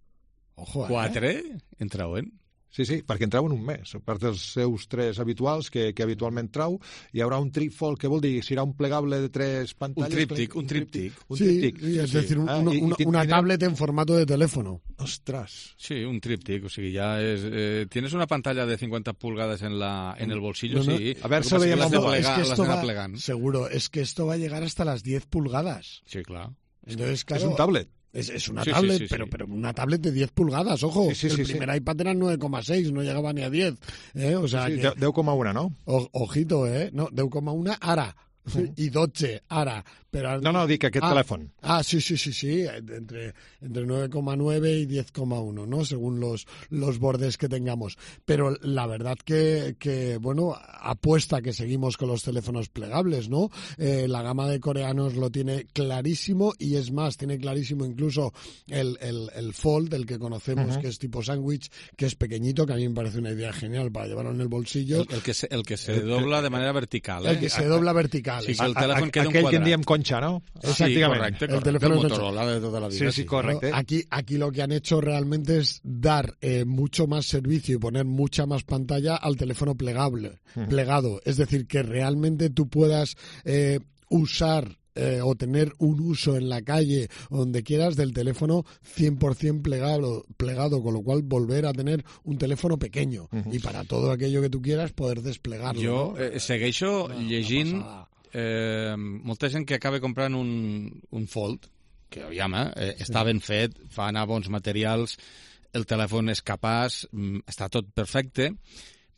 [SPEAKER 3] Ojo, eh?
[SPEAKER 1] Quatre? En trauen?
[SPEAKER 2] Sí, sí, perquè en trauen un mes. A part dels seus tres habituals que, que habitualment trau, hi haurà un trifold, que vol dir? Serà un plegable de tres pantalles?
[SPEAKER 1] Un tríptic, un tríptic.
[SPEAKER 3] Un tríptic. Sí, es sí. decir, un, ah, una, una, una tablet en formato de teléfono.
[SPEAKER 2] Ostras.
[SPEAKER 1] Sí, un tríptic, o sigui, ya es... Eh, ¿tienes una pantalla de cincuenta pulgadas en la en el bolsillo? No, no. Sí.
[SPEAKER 2] A ver, se veía
[SPEAKER 1] las de plegar,
[SPEAKER 3] es que
[SPEAKER 1] las
[SPEAKER 3] esto
[SPEAKER 1] de
[SPEAKER 3] va,
[SPEAKER 1] plegant.
[SPEAKER 3] Seguro, es que esto va a llegar hasta las diez pulgadas.
[SPEAKER 1] Sí, claro.
[SPEAKER 3] Entonces, claro,
[SPEAKER 2] es un tablet.
[SPEAKER 3] Es, es una
[SPEAKER 1] sí,
[SPEAKER 3] tablet,
[SPEAKER 1] sí, sí,
[SPEAKER 3] pero,
[SPEAKER 1] sí.
[SPEAKER 3] pero una tablet de diez pulgadas, ojo.
[SPEAKER 2] Sí, sí,
[SPEAKER 3] el
[SPEAKER 2] sí,
[SPEAKER 3] primer
[SPEAKER 2] sí.
[SPEAKER 3] iPad era nueve coma seis, no llegaba ni a diez. ¿eh? O sea,
[SPEAKER 2] sí,
[SPEAKER 3] que...
[SPEAKER 2] deu coma uno, no?
[SPEAKER 3] O, ojito, ¿eh? No, deu coma uno ara. Uh-huh. I dotze ara. Pero,
[SPEAKER 2] no, no, dic aquest
[SPEAKER 3] ah,
[SPEAKER 2] telèfon.
[SPEAKER 3] Ah, sí, sí, sí, sí, entre, entre nueve coma nueve y diez coma uno, ¿no? Según los, los bordes que tengamos. Pero la verdad que, que, bueno, apuesta que seguimos con los teléfonos plegables, ¿no? Eh, la gama de coreanos lo tiene clarísimo y es más, tiene clarísimo incluso el, el, el Fold, el que conocemos, uh-huh. que es tipo sándwich, que es pequeñito, que a mí me parece una idea genial para llevarlo en el bolsillo.
[SPEAKER 1] El, el, que, se, el que se dobla de manera vertical, ¿eh?
[SPEAKER 3] El que se dobla vertical.
[SPEAKER 1] Sí, que el telèfon queda un
[SPEAKER 2] Aquell
[SPEAKER 1] quadrat.
[SPEAKER 2] que en diem concha, ¿no?
[SPEAKER 1] Sí, correcte, correcte.
[SPEAKER 3] El teléfono
[SPEAKER 1] el Motorola de tota la vida.
[SPEAKER 2] Sí, sí, correcte.
[SPEAKER 3] Aquí, aquí lo que han hecho realmente es dar eh, mucho más servicio y poner mucha más pantalla al teléfono plegable, uh-huh. plegado. Es decir, que realmente tú puedas eh, usar Eh, o tener un uso en la calle o donde quieras del teléfono cien por ciento plegado, plegado, con lo cual volver a tener un teléfono pequeño uh-huh. y para todo aquello que tú quieras poder desplegarlo.
[SPEAKER 1] Jo
[SPEAKER 3] ¿no?
[SPEAKER 1] eh, segueixo no, llegint eh, molta gent que acaba comprant un, un Fold, que aviam, eh, sí. està ben fet, fa anar bons materials, el telèfon és capaç, està tot perfecte,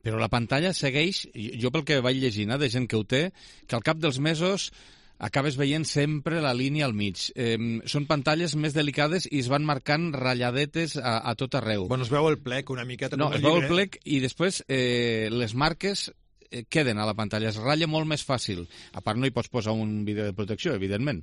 [SPEAKER 1] però la pantalla segueix, jo pel que vaig llegint, eh, de gent que ho té, que al cap dels mesos acabes veient sempre la línia al mig. Eh, són pantalles més delicades i es van marcant ratlladetes a, a tot arreu.
[SPEAKER 2] Bueno, es veu el plec una miqueta
[SPEAKER 1] no,
[SPEAKER 2] com el
[SPEAKER 1] es veu
[SPEAKER 2] llibre.
[SPEAKER 1] el plec i després eh, les marques eh, queden a la pantalla, es ratlla molt més fàcil. A part no hi pots posar un vídeo de protecció, evidentment.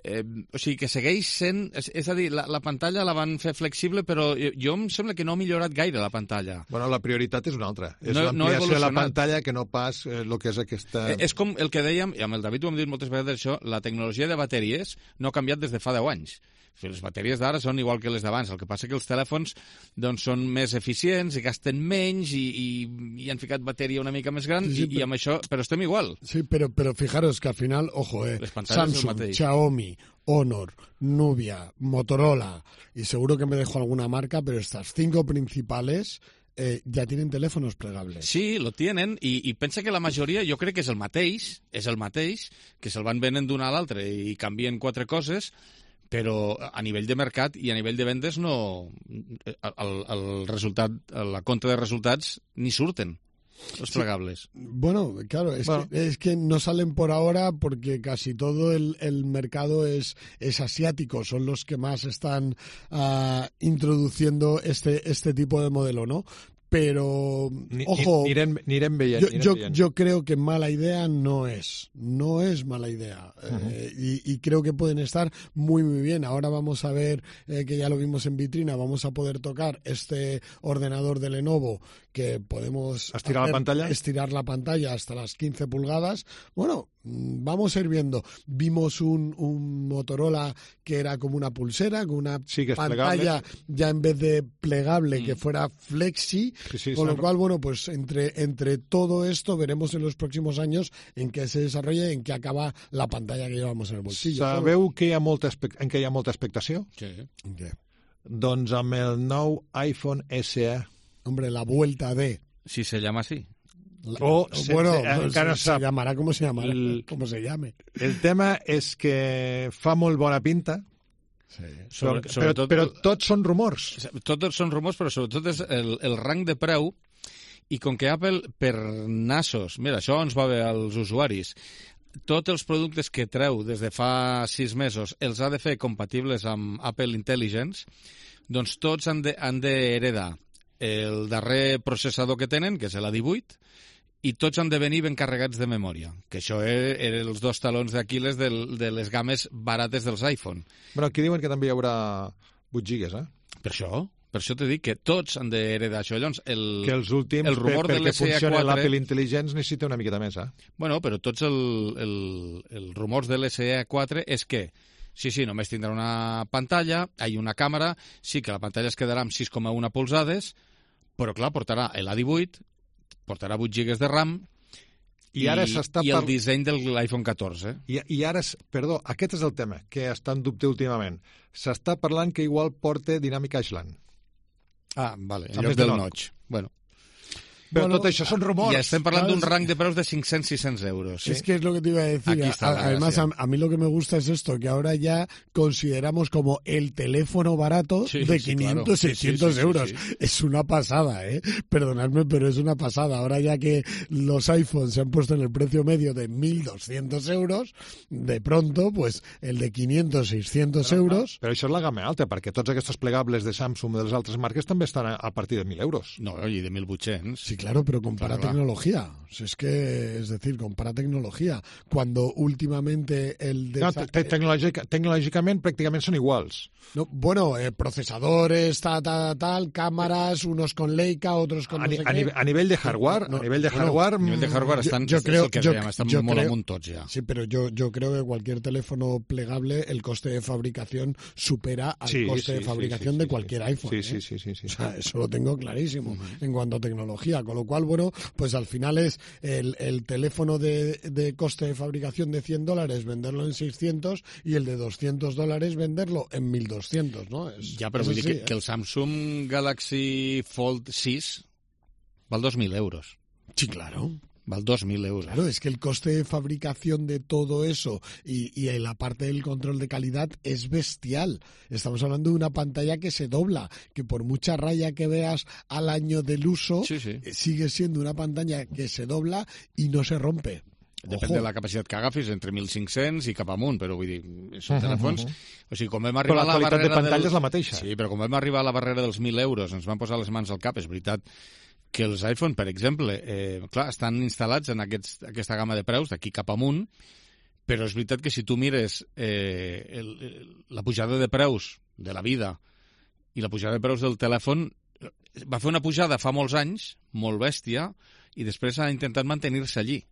[SPEAKER 1] Eh, o sigui que segueix sent... És, és a dir, la, la pantalla la van fer flexible, però jo em sembla que no ha millorat gaire la pantalla.
[SPEAKER 2] Bueno, la prioritat és una altra. És
[SPEAKER 1] no,
[SPEAKER 2] l'ampliació
[SPEAKER 1] no
[SPEAKER 2] de la pantalla que no pas el eh, que és aquesta...
[SPEAKER 1] Eh, és com el que dèiem, i amb el David ho hem dit moltes vegades això, la tecnologia de bateries no ha canviat des de fa deu anys. Les bateries d'ara són igual que les d'abans, el que passa que els telèfons doncs, són més eficients i gasten menys i, i, i han ficat bateria una mica més gran sí, sí, i, però... i amb això, però estem igual.
[SPEAKER 3] Sí, però, però fijaros que al final, ojo, eh, Samsung, Xiaomi, Honor, Nubia, Motorola y seguro que me dejo alguna marca, pero estas cinco principales eh, ya tienen teléfonos plegables.
[SPEAKER 1] Sí, lo tienen, i, i pensa que la majoria jo crec que és el mateix, és el mateix, que se'l van venent d'un a l'altre i canvien quatre coses, però a nivell de mercat i a nivell de vendes no... El, el resultat, la compta de resultats ni surten. Los plegables.
[SPEAKER 3] Sí. Bueno, claro, es, bueno. Que, es que no salen por ahora porque casi todo el, el mercado es, es asiático, son los que más están uh, introduciendo este, este tipo de modelo, ¿no? Pero,
[SPEAKER 2] ni,
[SPEAKER 3] ojo,
[SPEAKER 2] anirem, anirem veient,
[SPEAKER 3] yo,
[SPEAKER 2] anirem
[SPEAKER 3] yo,
[SPEAKER 2] veient.
[SPEAKER 3] yo creo que mala idea no es, no es mala idea. Uh-huh. eh, y, y creo que pueden estar muy, muy bien. Ahora vamos a ver, eh, que ya lo vimos en vitrina, vamos a poder tocar este ordenador de Lenovo que podemos
[SPEAKER 2] estirar la pantalla,
[SPEAKER 3] estirar la pantalla hasta las quince pulgadas. Bueno, vamos a ir viendo. Vimos un, un Motorola que era como una pulsera, con una
[SPEAKER 2] sí, que
[SPEAKER 3] pantalla
[SPEAKER 2] plegable.
[SPEAKER 3] Ya en vez de plegable, mm. que fuera flexi,
[SPEAKER 2] sí, sí,
[SPEAKER 3] con lo cual, bueno, pues entre, entre todo esto veremos en los próximos años en qué se desarrolla y en qué acaba la pantalla que llevamos en el bolsillo.
[SPEAKER 2] Sabeu que hi ha molta, en què hi ha molta expectació?
[SPEAKER 1] Sí.
[SPEAKER 3] ¿En qué?
[SPEAKER 2] Doncs amb el nou iPhone S E.
[SPEAKER 3] Hombre, la vuelta de...
[SPEAKER 1] Si se llama así.
[SPEAKER 3] La,
[SPEAKER 2] o
[SPEAKER 3] bueno,
[SPEAKER 2] se, se,
[SPEAKER 3] se,
[SPEAKER 2] se,
[SPEAKER 3] se llamará como se llamará,
[SPEAKER 2] el,
[SPEAKER 3] como se llame.
[SPEAKER 2] El tema és que fa molt bona pinta,
[SPEAKER 3] sí.
[SPEAKER 2] Sobre, però, sobretot, però, però tots són rumors.
[SPEAKER 1] Tots són rumors, però sobretot és el, el rang de preu, i com que Apple, per nassos, mira, això ens va bé als usuaris, tots els productes que treu des de fa sis mesos els ha de fer compatibles amb Apple Intelligence, doncs tots han d'heredar el darrer processador que tenen, que és l'A divuit, i tots han de venir ben carregats de memòria, que això eren els dos talons d'Aquil·les de, de les games barates dels iPhone.
[SPEAKER 2] Bueno, aquí diuen que també hi haurà vuit gigas, eh?
[SPEAKER 1] Per això, per això t'he dit que tots han d'heredar això. Llavors, el,
[SPEAKER 2] que els últims,
[SPEAKER 1] el rumor
[SPEAKER 2] per,
[SPEAKER 1] de l'S E A quatre...
[SPEAKER 2] l'Apple Intelligence necessita una miqueta més, eh?
[SPEAKER 1] Bueno, però tots el, el, el rumors de l'S E A quatre és que sí, sí, només tindrà una pantalla, hi ha una càmera, sí que la pantalla es quedarà amb sis coma u polzades, però clar, portarà l'A divuit, portarà vuit gigas de RAM i,
[SPEAKER 2] i, ara
[SPEAKER 1] i el par... disseny de l'iPhone catorze.
[SPEAKER 2] I, I ara, perdó, aquest és el tema que està en dubte últimament. S'està parlant que igual porta Dynamic Island.
[SPEAKER 1] Ah, vale, en lloc del notch. Bueno.
[SPEAKER 2] Però bueno, tot això són rumors.
[SPEAKER 1] I estem parlant d'un rang de preus de cinc-cents a sis-cents euros.
[SPEAKER 3] ¿sí? Es que es lo que te iba a decir. A, además, a, a mí lo que me gusta es esto, que ahora ya consideramos como el teléfono barato sí, de quinientos, sí, claro. seiscientos sí, sí, sí, euros. Sí, sí. Es una pasada, ¿eh? Perdonadme, pero es una pasada. Ahora ya que los iPhones se han puesto en el precio medio de mil doscientos euros, de pronto, pues el de quinientos, seiscientos
[SPEAKER 2] però,
[SPEAKER 3] euros...
[SPEAKER 2] Però això és la gamma alta, perquè tots aquests plegables de Samsung i de les altres marques també estan a, a partir de mil euros.
[SPEAKER 1] No, i de mil vuit-cents.
[SPEAKER 3] Sí, claro, pero compara claro, tecnología. O sea, es que, es decir, compara tecnología. Cuando últimamente el... De
[SPEAKER 2] no, te tecnològic tecnològicament pràcticament són iguals.
[SPEAKER 3] No, bueno, eh, procesadores, tal, tal, tal, cámaras, unos con Leica, otros con
[SPEAKER 2] a,
[SPEAKER 3] no sé
[SPEAKER 2] a,
[SPEAKER 3] qué.
[SPEAKER 2] A nivell de hardware, no, a nivell de hardware...
[SPEAKER 1] Bueno, a nivell de hardware estan,
[SPEAKER 3] yo, yo creo,
[SPEAKER 1] que
[SPEAKER 3] yo,
[SPEAKER 1] dèiem, estan
[SPEAKER 3] yo
[SPEAKER 1] molt
[SPEAKER 3] creo,
[SPEAKER 1] amunt tots ja.
[SPEAKER 3] Sí, pero yo, yo creo que cualquier teléfono plegable, el coste de fabricación supera al
[SPEAKER 2] sí,
[SPEAKER 3] coste
[SPEAKER 2] sí,
[SPEAKER 3] de fabricación
[SPEAKER 2] sí, sí,
[SPEAKER 3] de
[SPEAKER 2] sí,
[SPEAKER 3] cualquier
[SPEAKER 2] sí,
[SPEAKER 3] iPhone.
[SPEAKER 2] Sí,
[SPEAKER 3] ¿eh?
[SPEAKER 2] sí, sí, sí, sí.
[SPEAKER 3] O sea, eso lo tengo clarísimo uh-huh. en cuanto a tecnología. Con lo cual, bueno, pues al final es el, el teléfono de, de coste de fabricación de cien dólares venderlo en seiscientos y el de doscientos dólares venderlo en mil doscientos, ¿no? Es,
[SPEAKER 1] ja, però
[SPEAKER 3] es
[SPEAKER 1] vull
[SPEAKER 3] así,
[SPEAKER 1] dir que,
[SPEAKER 3] ¿eh?
[SPEAKER 1] que el Samsung Galaxy Fold sis val dos mil euros.
[SPEAKER 3] Sí, claro.
[SPEAKER 1] Val dos mil euros.
[SPEAKER 3] Claro, es que el coste de fabricación de todo eso y, y la parte del control de calidad es bestial. Estamos hablando de una pantalla que se dobla, que por mucha raya que veas al año del uso,
[SPEAKER 1] sí, sí.
[SPEAKER 3] sigue siendo una pantalla que se dobla y no se rompe.
[SPEAKER 1] Depèn
[SPEAKER 3] Ojo.
[SPEAKER 1] de la capacitat que agafis, entre mil cinc-cents i cap amunt, però vull dir, són
[SPEAKER 2] uh -huh,
[SPEAKER 1] telèfons...
[SPEAKER 2] uh -huh.
[SPEAKER 1] O sigui, com vam
[SPEAKER 2] però
[SPEAKER 1] arribar
[SPEAKER 2] la
[SPEAKER 1] a la
[SPEAKER 2] qualitat
[SPEAKER 1] barrera
[SPEAKER 2] de pantalla
[SPEAKER 1] del...
[SPEAKER 2] és la mateixa.
[SPEAKER 1] Sí, però com vam arribar a la barrera dels mil euros, ens van posar les mans al cap, és veritat que els iPhone, per exemple, eh, clar, estan instal·lats en aquests, aquesta gamma de preus, d'aquí cap amunt, però és veritat que si tu mires eh, el, el, la pujada de preus de la vida i la pujada de preus del telèfon, va fer una pujada fa molts anys, molt bèstia, i després ha intentat mantenir-se allí.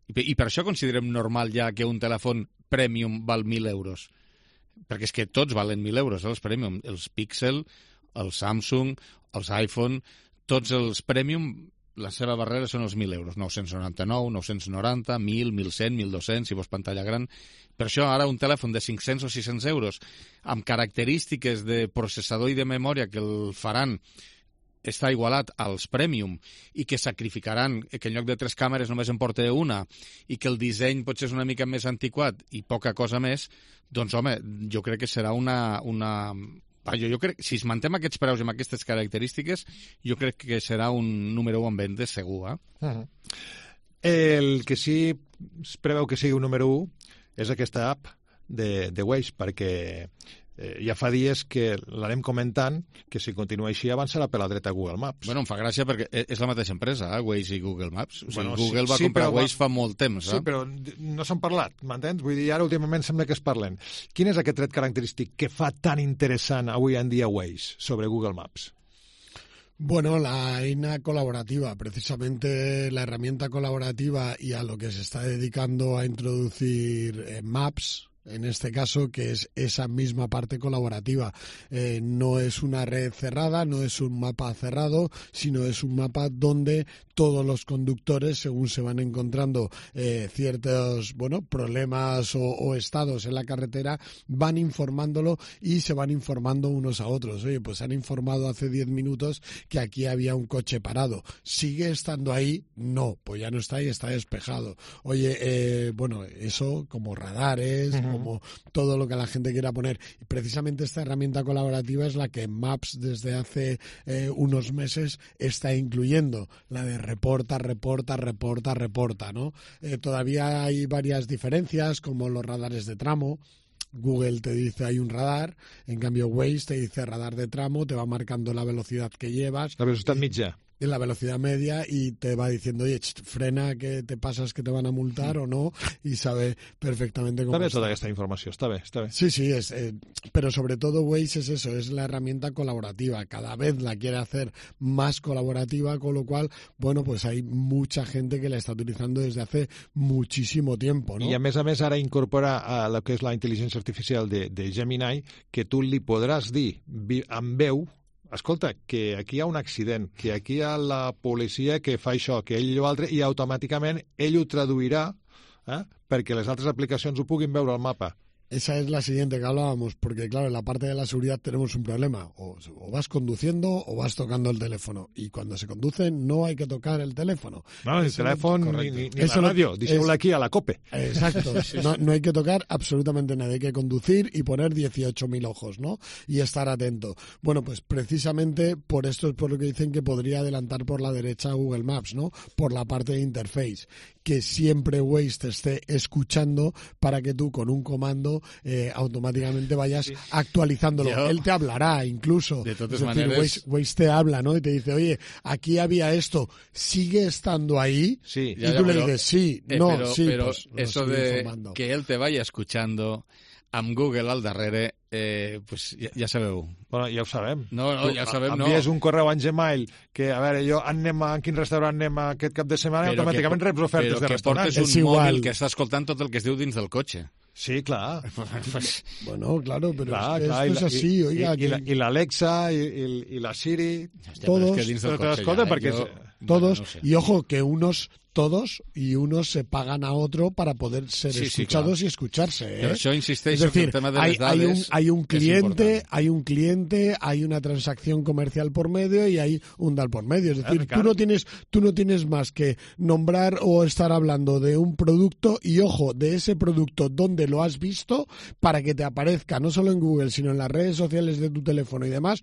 [SPEAKER 1] I, I per això considerem normal ja que un telèfon premium val mil euros. Perquè és que tots valen mil euros, eh, els premium. Els Pixel, els Samsung, els iPhone, tots els premium, la seva barrera són els mil euros. nou-cents noranta-nou, nou-cents noranta, mil, mil cent, mil dos-cents, si vols pantalla gran. Per això ara un telèfon de cinc-cents o sis-cents euros amb característiques de processador i de memòria que el faran està igualat als Premium i que sacrificaran que en lloc de tres càmeres només en porta una i que el disseny potser és una mica més antiquat i poca cosa més, doncs, home, jo crec que serà una... una... Jo, jo crec, si es mantem aquests preus amb aquestes característiques, jo crec que serà un número u en vendes segur, eh?
[SPEAKER 2] Uh-huh. El que sí es preveu que sigui un número u és aquesta app de, de Waze, perquè eh, ja fa dies que l'anem comentant, que si continua així avançarà per la dreta Google Maps.
[SPEAKER 1] Bueno, em fa gràcia perquè és la mateixa empresa, eh? Waze i Google Maps. O sigui,
[SPEAKER 2] bueno,
[SPEAKER 1] Google
[SPEAKER 2] sí,
[SPEAKER 1] va
[SPEAKER 2] sí,
[SPEAKER 1] comprar Waze
[SPEAKER 2] va...
[SPEAKER 1] fa molt temps, eh?
[SPEAKER 2] Sí, però no s'han parlat, m'entens? Vull dir, ara últimament sembla que es parlen. Quin és aquest tret característic que fa tan interessant avui en dia Waze sobre Google Maps?
[SPEAKER 3] Bueno, la eina colaborativa, precisamente la herramienta colaborativa y a lo que se está dedicando a introducir eh, Maps, en este caso, que es esa misma parte colaborativa. Eh, no es una red cerrada, no es un mapa cerrado, sino es un mapa donde todos los conductores, según se van encontrando eh, ciertos bueno problemas o, o estados en la carretera, van informándolo y se van informando unos a otros. Oye, pues han informado hace diez minutos que aquí había un coche parado. ¿Sigue estando ahí? No, pues ya no está ahí, está despejado. Oye, eh, bueno, eso como radares, uh-huh. como todo lo que la gente quiera poner. Y precisamente esta herramienta colaborativa es la que Maps desde hace eh, unos meses está incluyendo, la de reporta, reporta, reporta, reporta, ¿no? Eh, todavía hay varias diferencias, como los radares de tramo. Google te dice hay un radar, en cambio Waze te dice radar de tramo, te va marcando la velocidad que llevas.
[SPEAKER 2] La velocidad mitja.
[SPEAKER 3] En la velocidad media y te va diciendo, oye, ch, frena que te pasas que te van a multar o no, y sabe perfectamente cómo
[SPEAKER 2] está. Está
[SPEAKER 3] está.
[SPEAKER 2] toda esta información, está bien, está bien.
[SPEAKER 3] Sí, sí, es, eh, pero sobre todo Waze es eso, es la herramienta colaborativa. Cada vez la quiere hacer más colaborativa, con lo cual, bueno, pues hay mucha gente que la está utilizando desde hace muchísimo tiempo, ¿no?
[SPEAKER 2] I a més a més ara incorpora a lo que és la intel·ligència artificial de, de Gemini, que tu li podràs dir amb veu, escolta, que aquí hi ha un accident, que aquí hi ha la policia que fa això, que ell i l'altre, i automàticament ell ho traduirà eh, perquè les altres aplicacions ho puguin veure al mapa.
[SPEAKER 3] esa es la siguiente que hablábamos, porque claro, en la parte de la seguridad tenemos un problema. O, o vas conduciendo o vas tocando el teléfono. Y cuando se conduce no hay que tocar el teléfono.
[SPEAKER 2] No, el
[SPEAKER 3] Eso
[SPEAKER 2] teléfono
[SPEAKER 3] no,
[SPEAKER 2] ni, ni, ni
[SPEAKER 3] eso
[SPEAKER 2] la
[SPEAKER 3] no,
[SPEAKER 2] radio, díselo aquí a la COPE.
[SPEAKER 3] Exacto, no, no hay que tocar absolutamente nada, hay que conducir y poner dieciocho mil ojos, ¿no? Y estar atento. Bueno, pues precisamente por esto es por lo que dicen que podría adelantar por la derecha Google Maps, ¿no? Por la parte de interface, que siempre Waze te esté escuchando para que tú con un comando eh, automáticamente vayas sí. actualizándolo. Yo, Él te hablará incluso.
[SPEAKER 1] De todas
[SPEAKER 3] es decir,
[SPEAKER 1] maneras...
[SPEAKER 3] Waze, Waze te habla, ¿no? Y te dice, oye, aquí había esto, ¿sigue estando ahí?
[SPEAKER 1] Sí,
[SPEAKER 3] y
[SPEAKER 1] ya,
[SPEAKER 3] tú
[SPEAKER 1] ya,
[SPEAKER 3] le dices, sí,
[SPEAKER 1] eh,
[SPEAKER 3] no,
[SPEAKER 1] pero,
[SPEAKER 3] sí,
[SPEAKER 1] pero
[SPEAKER 3] pues,
[SPEAKER 1] eso de informando. Que él te vaya escuchando amb Google al darrere, eh, pues ja, ja sabeu.
[SPEAKER 2] Bueno, ja ho sabem.
[SPEAKER 1] No, no, ja sabem, no.
[SPEAKER 2] Envies un correu a Gmail que, a veure, jo anem a, en quin restaurant anem aquest cap de setmana i automàticament
[SPEAKER 1] que,
[SPEAKER 2] reps ofertes de restaurant.
[SPEAKER 1] Però que portes un mòbil que està escoltant tot el que es diu dins del cotxe.
[SPEAKER 2] Sí, clar.
[SPEAKER 3] Bueno, claro, pero
[SPEAKER 2] clar,
[SPEAKER 3] es,
[SPEAKER 2] clar,
[SPEAKER 3] esto es así,
[SPEAKER 2] i,
[SPEAKER 3] oiga.
[SPEAKER 2] I, i l'Alexa, i, i, i la Siri...
[SPEAKER 1] Hòstia,
[SPEAKER 3] todos,
[SPEAKER 1] és que dins del cotxe
[SPEAKER 2] ja,
[SPEAKER 1] ja,
[SPEAKER 2] perquè
[SPEAKER 1] jo...
[SPEAKER 3] Todos,
[SPEAKER 1] bueno, no sé.
[SPEAKER 3] Y ojo, que unos, todos, y unos se pagan a otro para poder ser
[SPEAKER 1] sí,
[SPEAKER 3] escuchados
[SPEAKER 1] sí,
[SPEAKER 3] y escucharse. ¿eh?
[SPEAKER 1] Pero yo insisteixo
[SPEAKER 3] es decir,
[SPEAKER 1] que el tema de
[SPEAKER 3] hay,
[SPEAKER 1] les dades
[SPEAKER 3] hay, un, hay un cliente,
[SPEAKER 1] es
[SPEAKER 3] hay un cliente, hay una transacción comercial por medio y hay un DAL por medio. Es decir,
[SPEAKER 2] claro.
[SPEAKER 3] tú no tienes, tú no tienes más que nombrar o estar hablando de un producto y ojo, de ese producto donde lo has visto para que te aparezca no solo en Google, sino en las redes sociales de tu teléfono y demás,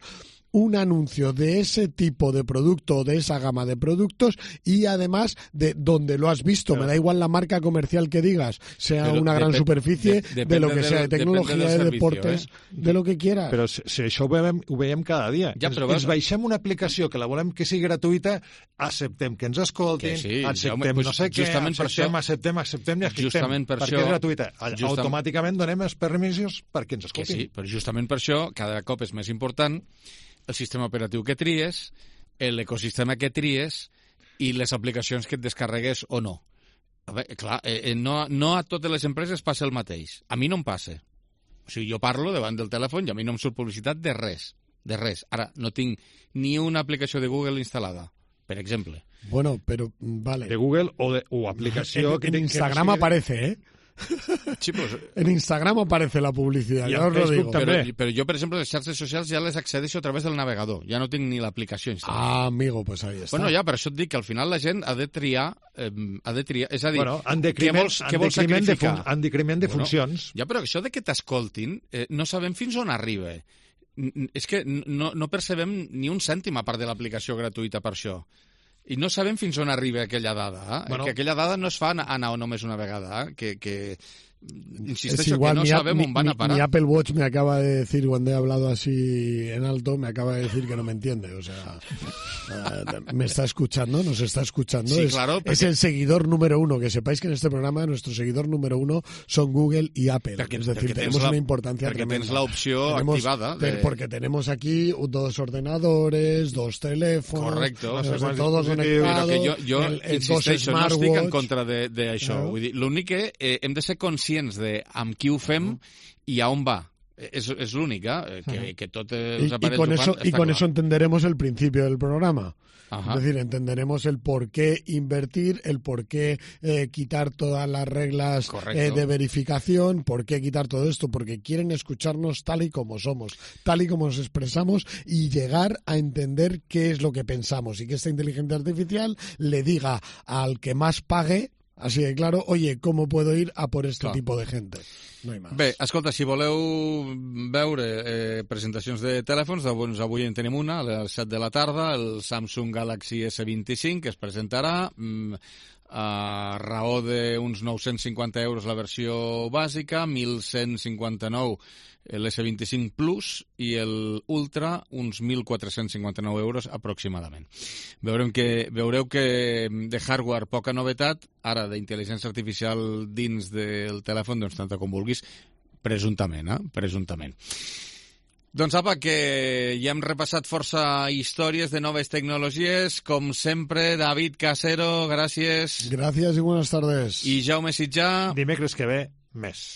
[SPEAKER 3] un anuncio de ese tipo de producto o de esa gama de productos y además de donde lo has visto. Pero, me da igual la marca comercial que digas, sea una gran superficie, de, de lo que sea, de tecnologia, de servicio, deportes, eh? de lo que quieras.
[SPEAKER 2] Però si, si això ho veiem, ho veiem cada dia.
[SPEAKER 1] Ja,
[SPEAKER 2] ens,
[SPEAKER 1] però
[SPEAKER 2] ens baixem una aplicació que la volem que sigui gratuïta, acceptem que ens escoltin, que sí, acceptem home, no sé què, acceptem, això, acceptem, acceptem i acceptem, per perquè això, és gratuïta. Justament, automàticament donem els permisos perquè ens escoltin.
[SPEAKER 1] Que sí, però justament per això cada cop és més important el sistema operatiu que tries, l'ecosistema que tries i les aplicacions que et descarregues o no. A veure, clar, eh, no, no a totes les empreses passa el mateix. A mi no em passa. O sigui, jo parlo davant del telèfon i a mi no em surt publicitat de res. De res. Ara, no tinc ni una aplicació de Google instal·lada, per exemple.
[SPEAKER 3] Bueno, pero vale.
[SPEAKER 2] De Google o, de, o aplicació...
[SPEAKER 3] En,
[SPEAKER 2] que
[SPEAKER 3] en Instagram que no aparece, ¿eh?
[SPEAKER 1] Sí, pues,
[SPEAKER 3] en Instagram aparece la publicidad,
[SPEAKER 2] y
[SPEAKER 3] ya os lo digo.
[SPEAKER 1] Pero, pero yo, por ejemplo, les xarxes socials ja les accedeixo a través del navegador. Ja no tinc ni l'aplicació instal·lada.
[SPEAKER 3] Ah, amigo, pues ahí está.
[SPEAKER 1] Bueno, ja, per això et dic que al final la gent ha de triar... Eh, ha de triar és a dir,
[SPEAKER 2] bueno, en decriment,
[SPEAKER 1] què vols, què vols sacrificar?
[SPEAKER 2] De en decriment de bueno, funcions.
[SPEAKER 1] Ja, però això de que t'escoltin, eh, no sabem fins on arriba. És que no, no percebem ni un cèntim a part de l'aplicació gratuïta per això. I no sabem fins on arriba aquella dada. Eh? Bueno, que aquella dada no es fa anar només una vegada. Eh? Que, que insisteixo igual, que no sabem
[SPEAKER 3] mi,
[SPEAKER 1] on van a parar.
[SPEAKER 3] Mi Apple Watch me acaba de decir, cuando he hablado así en alto, me acaba de decir que no me entiende. O sea, uh, me está escuchando, nos está escuchando.
[SPEAKER 1] Sí,
[SPEAKER 3] es,
[SPEAKER 1] claro, porque...
[SPEAKER 3] es el seguidor número uno. Que sepáis que en este programa nuestro seguidor número uno son Google y Apple.
[SPEAKER 1] Porque,
[SPEAKER 3] es decir, tenemos
[SPEAKER 1] la,
[SPEAKER 3] una importancia
[SPEAKER 1] porque
[SPEAKER 3] tremenda.
[SPEAKER 1] Tienes la opción
[SPEAKER 3] tenemos,
[SPEAKER 1] activada. De...
[SPEAKER 3] Porque tenemos aquí dos ordenadores, dos teléfonos,
[SPEAKER 1] correcto,
[SPEAKER 3] no sé, todos conectados.
[SPEAKER 1] Però que jo, jo
[SPEAKER 3] el, el
[SPEAKER 1] insisteixo, no estic en contra d'això. Claro. Vull dir, l'únic que eh, hem de ser conscients de amb qui ho fem i a on va. És, és l'únic, eh? que, que tot els aparells
[SPEAKER 3] y, y con eso,
[SPEAKER 1] ho fan,
[SPEAKER 3] y con
[SPEAKER 1] clar.
[SPEAKER 3] eso entenderemos el principio del programa.
[SPEAKER 1] Ajá.
[SPEAKER 3] Es decir, entenderemos el por qué invertir, el por qué eh, quitar todas las reglas eh, de verificación, por qué quitar todo esto, porque quieren escucharnos tal y como somos, tal y como nos expresamos y llegar a entender qué es lo que pensamos y que esta inteligencia artificial le diga al que más pague, así de claro, oye, ¿cómo puedo ir a por este Clar. tipo de gente? No hi més.
[SPEAKER 1] Bé, escolta, si voleu veure eh, presentacions de telèfons, doncs avui en tenim una, a les set de la tarda, el Samsung Galaxy S vint-i-cinc, que es presentarà mm, a raó d'uns nou-cents cinquanta euros la versió bàsica, mil cent cinquanta-nou l'S vint-i-cinc Plus i l'Ultra uns mil quatre-cents cinquanta-nou euros aproximadament. Veurem que, veureu que de hardware poca novetat, ara d'intel·ligència artificial dins del telèfon, doncs tanta com vulguis, presumptament, eh? Presumptament. Doncs apa, que ja hem repassat força històries de noves tecnologies. Com sempre, David Casero, gràcies.
[SPEAKER 3] Gràcies i buenas tardes.
[SPEAKER 1] I Jaume Sitjà.
[SPEAKER 2] Dimecres que ve, més.